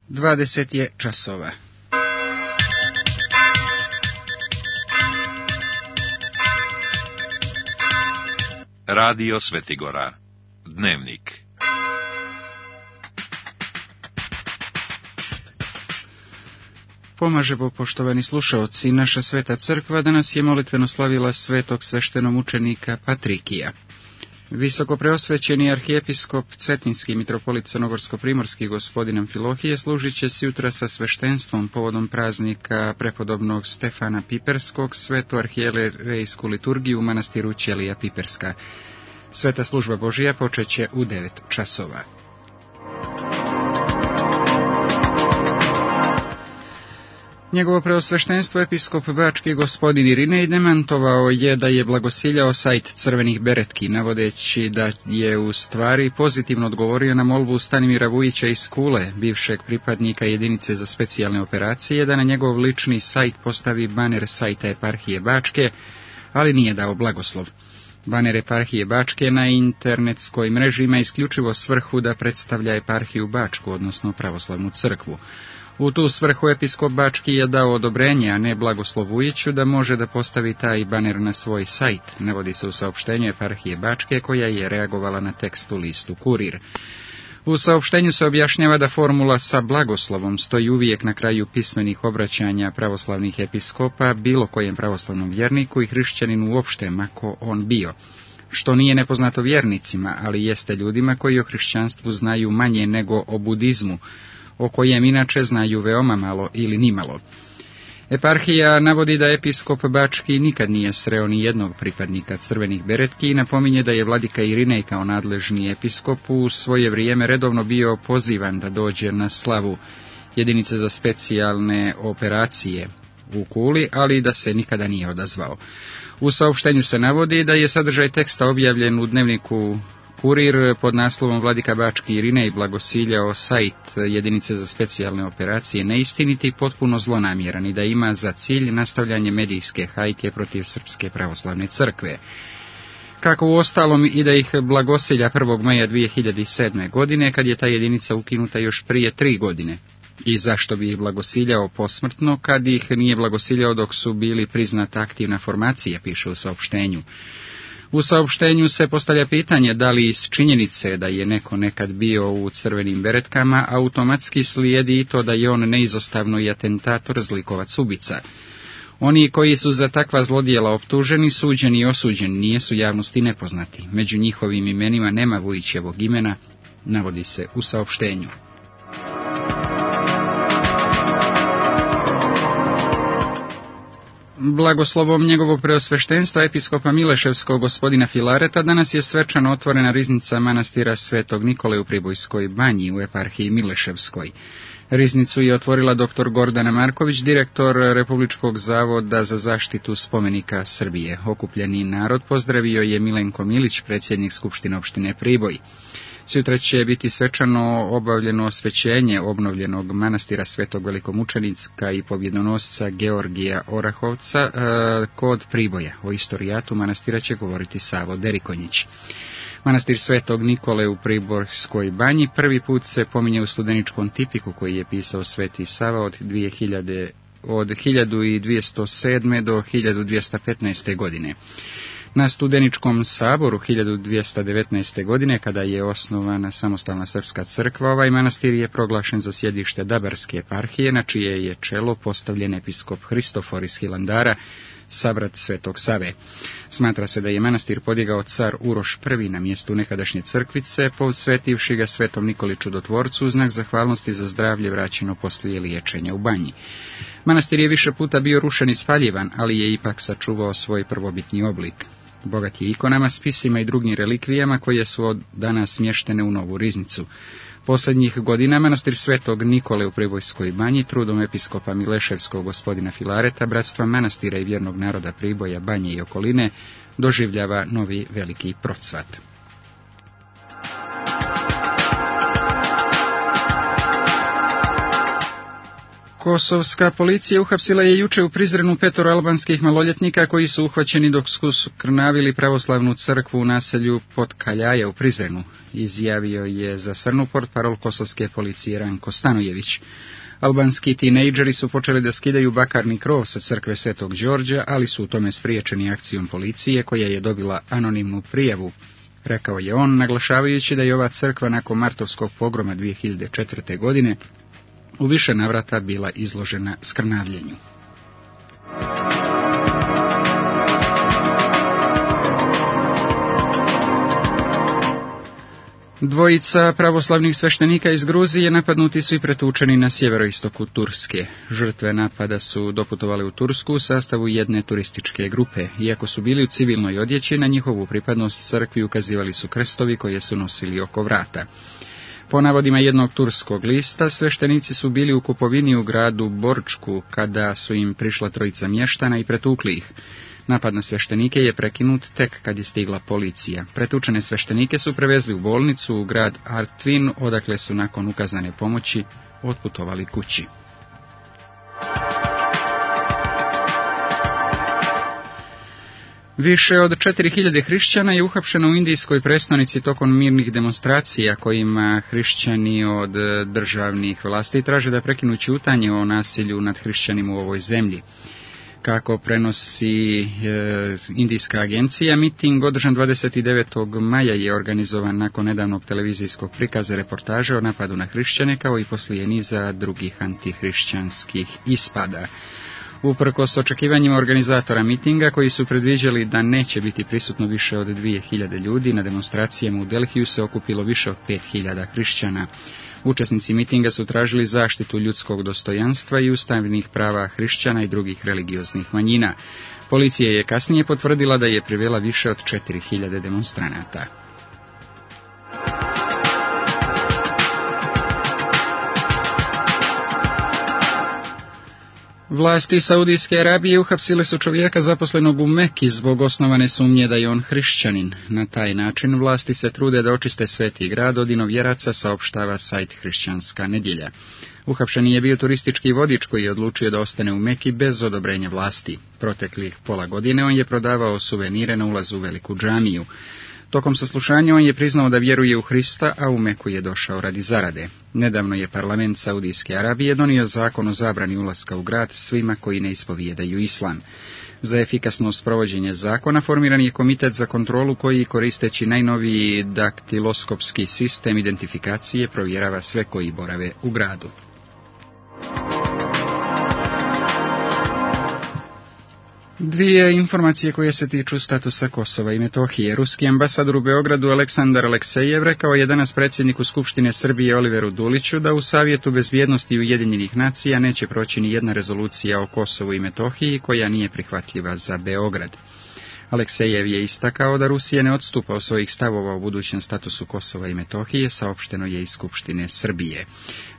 20 je časova. Radio Svetigora. Dnevnik. Pomaže Bog, poštovani slušaoci, naša sveta crkva danas je molitveno slavila svetog sveštenomučenika Patrikija. Visoko preosvećeni arhijepiskop Cetinski mitropolit crnogorsko-primorski gospodin Amfilohije služit će se jutra sa sveštenstvom povodom praznika prepodobnog Stefana Piperskog, svetu arhijerejsku liturgiju u manastiru Ćelija Piperska. Sveta služba Božija počeće u 9 časova. Njegovo preosveštenstvo episkop bački gospodin Irinej demantovao je da je blagosiljao sajt crvenih beretki, navodeći da je u stvari pozitivno odgovorio na molbu Stanimira Vujića iz Kule, bivšeg pripadnika jedinice za specijalne operacije, da na njegov lični sajt postavi baner sajta eparhije Bačke, ali nije dao blagoslov. Baner eparhije Bačke na internetskoj mreži ima isključivo svrhu da predstavlja eparhiju Bačku, odnosno pravoslavnu crkvu. U tu svrhu episkop Bački je dao odobrenje, a ne blagoslov Vujiću, da može da postavi taj baner na svoj sajt, navodi se u saopštenju eparhije Bačke, koja je reagovala na tekst u listu Kurir. U saopštenju se objašnjava da formula sa blagoslovom stoji uvijek na kraju pismenih obraćanja pravoslavnih episkopa bilo kojem pravoslavnom vjerniku i hrišćaninu uopšte, mako on bio, što nije nepoznato vjernicima, ali jeste ljudima koji o hrišćanstvu znaju manje nego o budizmu, o kojem inače znaju veoma malo ili nimalo. Eparhija navodi da episkop Bački nikad nije sreo ni jednog pripadnika crvenih beretki i napominje da je vladika Irinej kao nadležni episkop u svoje vrijeme redovno bio pozivan da dođe na slavu jedinice za specijalne operacije u Kuli, ali da se nikada nije odazvao. U saopštenju se navodi da je sadržaj teksta objavljen u dnevniku Kurir pod naslovom Vladika Bački Irinej blagosiljao sajt jedinice za specijalne operacije neistiniti i potpuno zlonamjeran i da ima za cilj nastavljanje medijske hajke protiv Srpske pravoslavne crkve. Kako u ostalom i da ih blagosilja 1. maja 2007. godine, kad je ta jedinica ukinuta još prije 3 godine. I zašto bi ih blagosiljao posmrtno, kad ih nije blagosiljao dok su bili priznata aktivna formacija, piše u saopštenju. U saopštenju se postavlja pitanje da li iz činjenice da je neko nekad bio u crvenim beretkama automatski slijedi i to da je on neizostavno i atentator, zlikovac, ubica. Oni koji su za takva zlodjela optuženi, suđeni i osuđeni nijesu javnosti nepoznati. Među njihovim imenima nema Vujićevog imena, navodi se u saopštenju. Blagoslovom njegovog preosveštenstva episkopa Mileševskog gospodina Filareta danas je svečano otvorena riznica manastira Svetog Nikole u Pribojskoj banji u eparhiji Mileševskoj. Riznicu je otvorila dr. Gordana Marković, direktor Republičkog zavoda za zaštitu spomenika Srbije. Okupljeni narod pozdravio je Milenko Milić, predsjednik Skupštine opštine Priboj. Sutra će biti svečano obavljeno osvećenje obnovljenog manastira Svetog velikomučenika i pobjedonosca Georgija Orahovca kod Priboja. O istorijatu manastira će govoriti Savo Derikonjić. Manastir Svetog Nikole u Priborskoj banji prvi put se pominje u studeničkom tipiku koji je pisao Sveti Sava od 1207. do 1215. godine. Na studeničkom saboru 1219. godine, kada je osnovana samostalna srpska crkva, ovaj manastir je proglašen za sjedište Dabarske eparhije, na čije je čelo postavljen episkop Hristofor iz Hilandara, sabrat Svetog Save. Smatra se da je manastir podigao car Uroš I na mjestu nekadašnje crkvice, posvetivši ga Svetom Nikoli Čudotvorcu u znak zahvalnosti za zdravlje vraćeno poslije liječenja u banji. Manastir je više puta bio rušen i spaljivan, ali je ipak sačuvao svoj prvobitni oblik. Bogat je ikonama, spisima i drugim relikvijama koje su od danas smještene u novu riznicu. Posljednjih godina manastir Svetog Nikole u Pribojskoj banji trudom episkopa Mileševskog gospodina Filareta, bratstva manastira i vjernog naroda Priboja, Banje i okoline, doživljava novi veliki procvat. Kosovska policija uhapsila je juče u Prizrenu 5 albanskih maloljetnika koji su uhvaćeni dok su skrnavili pravoslavnu crkvu u naselju Potkaljaja u Prizrenu, izjavio je za Crnu portparol kosovske policije Ranko Stanojević. Albanski tinejdžeri su počeli da skidaju bakarni krov sa crkve Svetog Đorđa, ali su u tome spriječeni akcijom policije koja je dobila anonimnu prijavu, rekao je on, naglašavajući da je ova crkva nakon martovskog pogroma 2004. godine u više navrata bila izložena skrnavljenju. Dvojica pravoslavnih sveštenika iz Gruzije napadnuti su i pretučeni na sjeveroistoku Turske. Žrtve napada su doputovali u Tursku u sastavu jedne turističke grupe. Iako su bili u civilnoj odjeći, na njihovu pripadnost crkvi ukazivali su krstovi koje su nosili oko vrata. Po navodima jednog turskog lista, sveštenici su bili u kupovini u gradu Borčku kada su im prišla trojica mještana i pretukli ih. Napad na sveštenike je prekinut tek kad je stigla policija. Pretučene sveštenike su prevezli u bolnicu u grad Artvin, odakle su nakon ukazane pomoći otputovali kući. Više od 4000 hrišćana je uhapšeno u indijskoj prestonici tokom mirnih demonstracija kojima hrišćani od državnih vlasti traže da prekinu ćutanje o nasilju nad hrišćanima u ovoj zemlji. Kako prenosi indijska agencija, miting održan 29. maja je organizovan nakon nedavnog televizijskog prikaza reportaže o napadu na hrišćane, kao i poslije niza drugih antihrišćanskih ispada. Uprkos očekivanjima organizatora mitinga, koji su predviđali da neće biti prisutno više od 2000 ljudi, na demonstracijama u Delhiju se okupilo više od 5000 hrišćana. Učesnici mitinga su tražili zaštitu ljudskog dostojanstva i ustavnih prava hrišćana i drugih religioznih manjina. Policija je kasnije potvrdila da je privela više od 4000 demonstranata. Vlasti Saudijske Arabije uhapsile su čovjeka zaposlenog u Meki zbog osnovane sumnje da je on hrišćanin. Na taj način vlasti se trude da očiste sveti grad od inovjeraca, saopštava sajt Hrišćanska nedjelja. Uhapšeni je bio turistički vodič koji je odlučio da ostane u Meki bez odobrenja vlasti. Proteklih pola godine on je prodavao suvenire na ulazu u veliku džamiju. Tokom saslušanja on je priznao da vjeruje u Hrista, a u Meku je došao radi zarade. Nedavno je parlament Saudijske Arabije donio zakon o zabrani ulaska u grad svima koji ne ispovijedaju islam. Za efikasno sprovođenje zakona formiran je komitet za kontrolu koji, koristeći najnoviji daktiloskopski sistem identifikacije, provjerava sve koji borave u gradu. Dvije informacije koje se tiču statusa Kosova i Metohije. Ruski ambasador u Beogradu Aleksandar Aleksejev rekao je danas predsjedniku Skupštine Srbije Oliveru Duliću da u Savjetu bezbjednosti Ujedinjenih nacija neće proći ni jedna rezolucija o Kosovu i Metohiji koja nije prihvatljiva za Beograd. Aleksejev je istakao da Rusija ne odstupa od svojih stavova u budućem statusu Kosova i Metohije, saopšteno je iz Skupštine Srbije.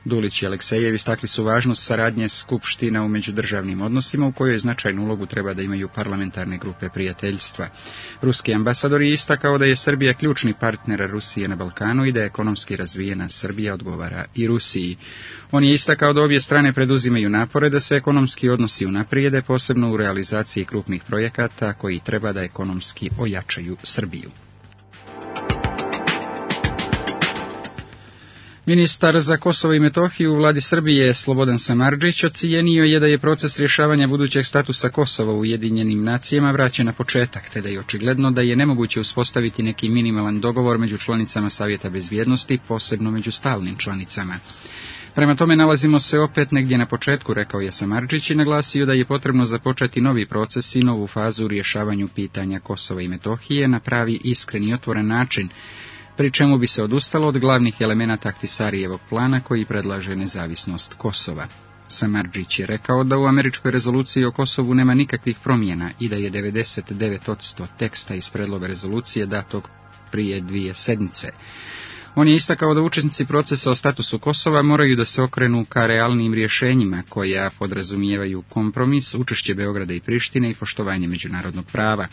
Dulić i Aleksejev istakli su važnost saradnje Skupština u međudržavnim odnosima u kojoj značajnu ulogu treba da imaju parlamentarne grupe prijateljstva. Ruski ambasador je istakao da je Srbija ključni partner Rusije na Balkanu i da ekonomski razvijena Srbija odgovara i Rusiji. On je istakao da obje strane preduzimaju napore da se ekonomski odnosi unaprijede, posebno u realizaciji krupnih projekata koji treba da ekonomski ojačaju Srbiju. Ministar za Kosovo i Metohiju u vladi Srbije Slobodan Samardžić ocijenio je da je proces rješavanja budućeg statusa Kosova u Ujedinjenim nacijama vraćen na početak, te da je očigledno da je nemoguće uspostaviti neki minimalan dogovor među članicama Savjeta bezbjednosti, posebno među stalnim članicama. Prema tome nalazimo se opet negdje na početku, rekao je Samardžić i naglasio da je potrebno započeti novi proces i novu fazu u rješavanju pitanja Kosova i Metohije na pravi, iskren i otvoren način, pri čemu bi se odustalo od glavnih elemenata Ahtisarijevog plana koji predlaže nezavisnost Kosova. Samardžić je rekao da u američkoj rezoluciji o Kosovu nema nikakvih promjena i da je 99% teksta iz predloga rezolucije datog prije 2 sedmice. On je istakao da učesnici procesa o statusu Kosova moraju da se okrenu ka realnim rješenjima koja podrazumijevaju kompromis, učešće Beograda i Prištine i poštovanje međunarodnog prava.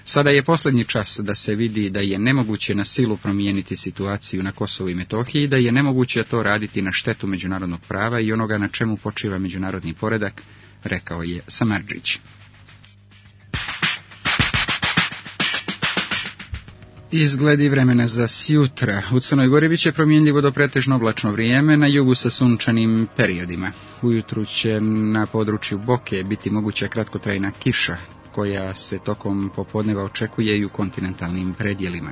Sada je posljednji čas da se vidi da je nemoguće na silu promijeniti situaciju na Kosovu i Metohiji, da je nemoguće to raditi na štetu međunarodnog prava i onoga na čemu počiva međunarodni poredak, rekao je Samardžić. Izgledi vremena za sjutra. U Crnoj Gori biće promjenljivo do pretežno oblačno vrijeme, na jugu sa sunčanim periodima. Ujutru će na području Boke biti moguća kratkotrajna kiša, koja se tokom popodneva očekuje i u kontinentalnim predjelima.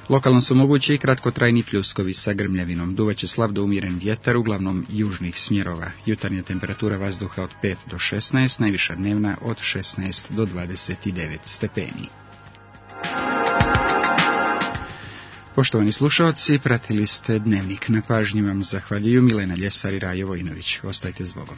Lokalno su mogući i kratkotrajni pljuskovi sa grmljavinom. Duvaće slab do umjeren vjetar, uglavnom južnih smjerova. Jutarnja temperatura vazduha od 5 do 16, najviša dnevna od 16 do 29 stepeni. Poštovani slušalci, pratili ste Dnevnik. Na pažnji vam zahvaljuju Milena Ljesar i Rajo Vojinović. Ostajte s Bogom.